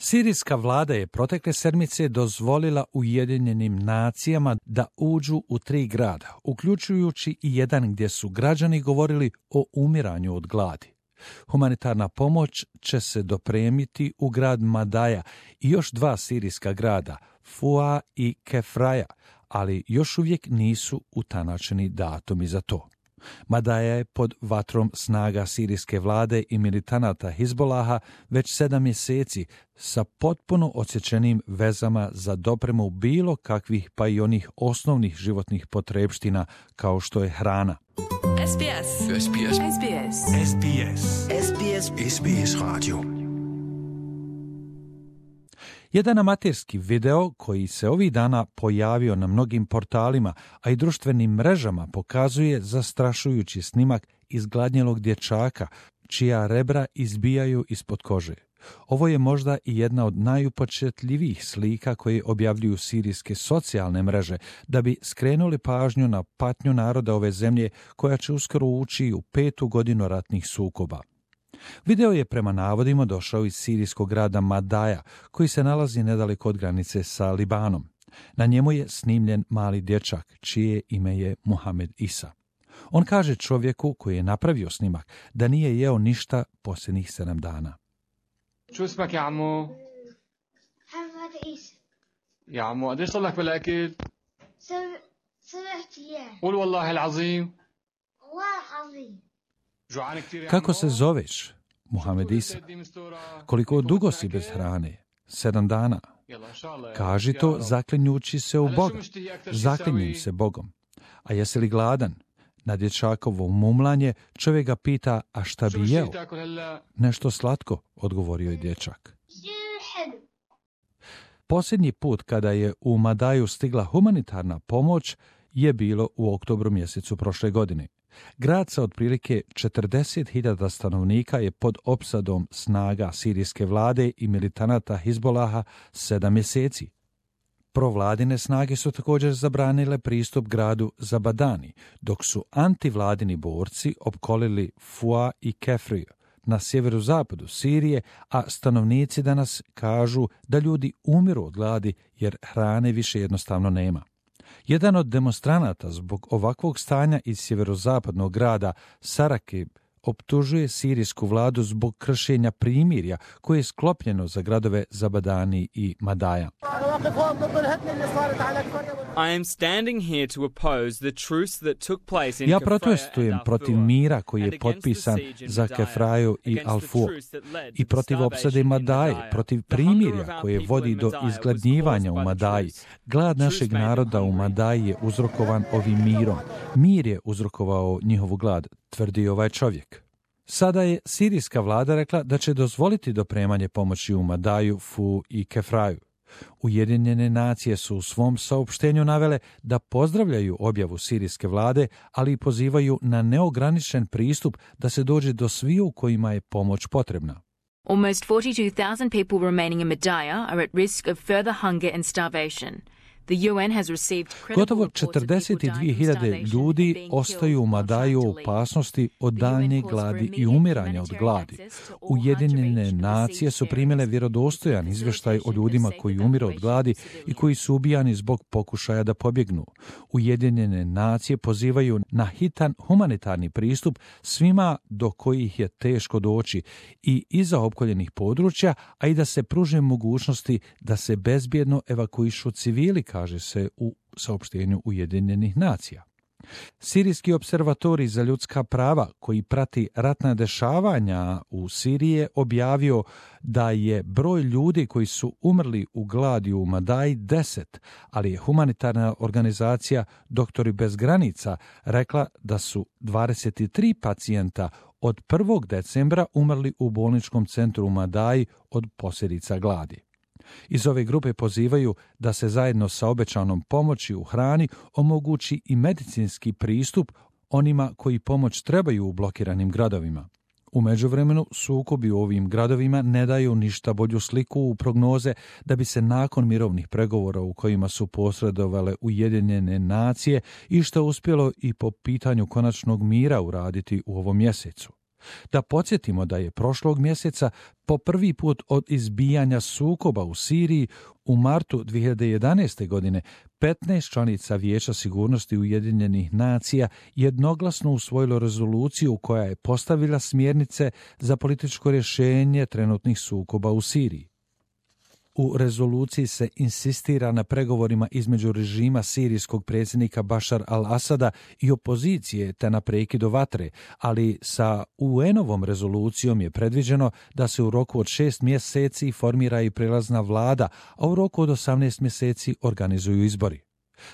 Sirijska vlada je protekle sedmice dozvolila Ujedinjenim nacijama da uđu u 3 grada, uključujući i jedan gdje su građani govorili o umiranju od gladi. Humanitarna pomoć će se dopremiti u grad Madaja i još 2 sirijska grada, Fua i Kefraja, ali još uvijek nisu utanačeni datumi za to. Madaja je pod vatrom snaga sirijske vlade i militanata Hizbolaha već 7 mjeseci sa potpuno odsječenim vezama za dopremu bilo kakvih pa i onih osnovnih životnih potrepština kao što je hrana. SBS. SBS. SBS. SBS. SBS. SBS Radio. Jedan amaterski video koji se ovih dana pojavio na mnogim portalima, a i društvenim mrežama, pokazuje zastrašujući snimak izgladnjelog dječaka, čija rebra izbijaju ispod kože. Ovo je možda i jedna od najupečatljivijih slika koje objavljuju sirijske socijalne mreže, da bi skrenuli pažnju na patnju naroda ove zemlje koja će uskoro ući u 5. godinu ratnih sukoba. Video je prema navodima došao iz sirijskog grada Madaja, koji se nalazi nedaleko od granice sa Libanom. Na njemu je snimljen mali dječak, čije ime je Mohamed Isa. On kaže čovjeku koji je napravio snimak da nije jeo ništa posljednjih 7 dana. شو اسمك يا عمو؟ محمد عيسى يا عمو قديش صار لك بالاكل؟ 7 أيام قول والله العظيم. والله العظيم. جوعان كثير يا Kako عمو؟ se zoveš? Mohamed Isa. Koliko dugo si bez hrane? 7 dana. يلا ان شاء الله. Kaži to zaklinjući se u Boga. Zaklinjem se Bogom. A jesi li gladan? Na dječakovo mumlanje čovjek ga pita, a šta bi jeo? Nešto slatko, odgovorio je dječak. حلو. Posljednji put kada je u Madaju stigla humanitarna pomoć je bilo u oktobru mjesecu prošle godine. Grad sa otprilike 40.000 stanovnika je pod opsadom snaga sirijske vlade i militanata Hizbolaha 7 mjeseci. Provladine snage su također zabranile pristup gradu Zabadani, dok su antivladini borci opkolili Fua i Kefriju na sjeverozapadu Sirije, a stanovnici danas kažu da ljudi umiru od gladi jer hrane više jednostavno nema. Jedan od demonstranata zbog ovakvog stanja iz sjeverozapadnog grada Sarakib optužuje sirijsku vladu zbog kršenja primirja koje je sklopljeno za gradove Zabadani i Madaja. I am standing here to oppose the truce that took place in Ja Kafraya protestujem and protiv Al-Fua mira koji and je against the potpisan siege in za Madaya, Kefraju i against the Al-Fua truce that led to i the protiv opsade starvation in Madaje, Madaya. protiv The hunger of primirja our koje people vodi in do Madaya was izgladnjivanja caused u by the Madaji. truce. Glad The našeg truce made them naroda u hungry. Madaji je uzrokovan ovim mirom. Mir je uzrokovao njihovu glad, tvrdi ovaj čovjek. Sada je sirijska vlada rekla da će dozvoliti dopremanje pomoći u Madaju, Fu i Kefraju. Ujedinjene nacije su u svom saopštenju navele da pozdravljaju objavu sirijske vlade, ali i pozivaju na neograničen pristup da se dođe do sviju kojima je pomoć potrebna. Almost 42,000 people remaining in Madaya are at risk of further hunger and starvation. The UN has received credible Gotovo reports of people dying from 42.000 starvation ljudi and being ostaju u killed or Madaju u trying to leave. opasnosti od The UN daljnje calls for gladi i immediate umiranja od humanitarian gladi. access to all Ujedinjene hard to reach nacije su primile vjerodostojan izvještaj o ljudima koji umiru od gladi i koji su ubijani zbog pokušaja da pobjegnu. Ujedinjene nacije pozivaju na hitan humanitarni pristup svima do kojih je teško doći i iza opkoljenih područja, a i da se pruže mogućnosti da se bezbjedno evakuišu civili, kaže se u saopštenju Ujedinjenih nacija. Sirijski observatorij za ljudska prava koji prati ratna dešavanja u Siriji je objavio da je broj ljudi koji su umrli u gladi u Madaji 10, ali je humanitarna organizacija Doktori bez granica rekla da su 23 pacijenta od 1. decembra umrli u bolničkom centru u Madaji od posljedica gladi. Iz ove grupe pozivaju da se zajedno sa obećanom pomoći u hrani omogući i medicinski pristup onima koji pomoć trebaju u blokiranim gradovima. U međuvremenu sukobi u ovim gradovima ne daju ništa bolju sliku u prognoze da bi se nakon mirovnih pregovora u kojima su posredovale Ujedinjene nacije i što uspjelo i po pitanju konačnog mira uraditi u ovom mjesecu. Da podsjetimo da je prošlog mjeseca po prvi put od izbijanja sukoba u Siriji u martu 2011. godine 15 članica Vijeća sigurnosti Ujedinjenih nacija jednoglasno usvojilo rezoluciju koja je postavila smjernice za političko rješenje trenutnih sukoba u Siriji. U rezoluciji se insistira na pregovorima između režima sirijskog predsjednika Bašar al-Asada i opozicije te na prekidu vatre, ali sa UN-ovom rezolucijom je predviđeno da se u roku od 6 mjeseci formira i prelazna vlada, a u roku od 18 mjeseci organizuju izbori.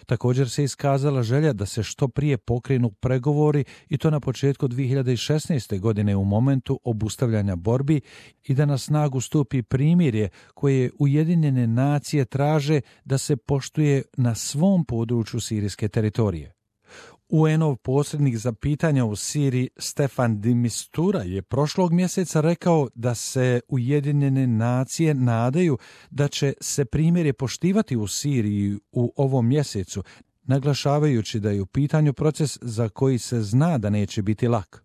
Također se iskazala želja da se što prije pokrenu pregovori i to na početku 2016. godine u momentu obustavljanja borbi i da na snagu stupi primirje koje Ujedinjene nacije traže da se poštuje na svom području sirijske teritorije. UN-ov posrednik za pitanja u Siriji Staffan de Mistura je prošlog mjeseca rekao da se Ujedinjene nacije nadaju da će se primirje poštivati u Siriji u ovom mjesecu, naglašavajući da je u pitanju proces za koji se zna da neće biti lak.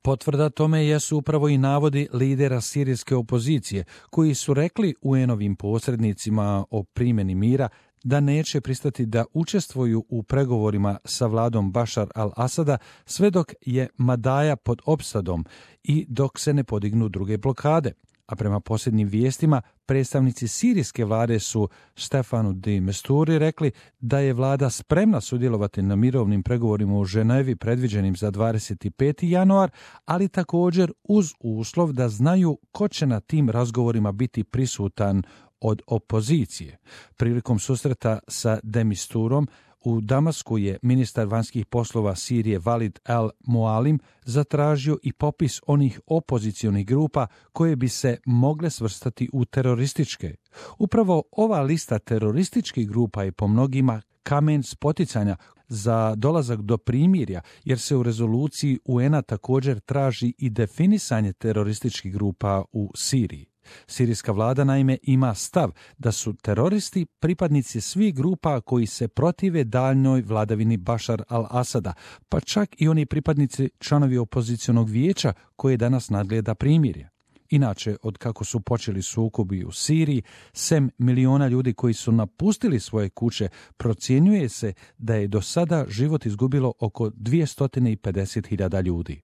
Potvrda tome jesu upravo i navodi lidera sirijske opozicije, koji su rekli UN-ovim posrednicima o primjeni mira da neće pristati da učestvuju u pregovorima sa vladom Bašar al-Asada sve dok je Madaja pod opsadom i dok se ne podignu druge blokade. A prema posljednjim vijestima, predstavnici sirijske vlade su Stefanu de Misturi rekli da je vlada spremna sudjelovati na mirovnim pregovorima u Ženevi predviđenim za 25. januar, ali također uz uslov da znaju ko će na tim razgovorima biti prisutan od opozicije. Prilikom susreta sa de Misturom u Damasku je ministar vanjskih poslova Sirije Walid al-Mualim zatražio i popis onih opozicionih grupa koje bi se mogle svrstati u terorističke. Upravo ova lista terorističkih grupa je po mnogima kamen spoticanja za dolazak do primirja, jer se u rezoluciji UN-a također traži i definisanje terorističkih grupa u Siriji. Sirijska vlada naime ima stav da su teroristi pripadnici svih grupa koji se protive daljnjoj vladavini Bašar al-Asada, pa čak i oni pripadnici članovi opozicionog vijeća koje danas nadgleda primirje. Inače, od kako su počeli sukobi u Siriji, 7 miliona ljudi koji su napustili svoje kuće, procjenjuje se da je do sada život izgubilo oko 250.000 ljudi.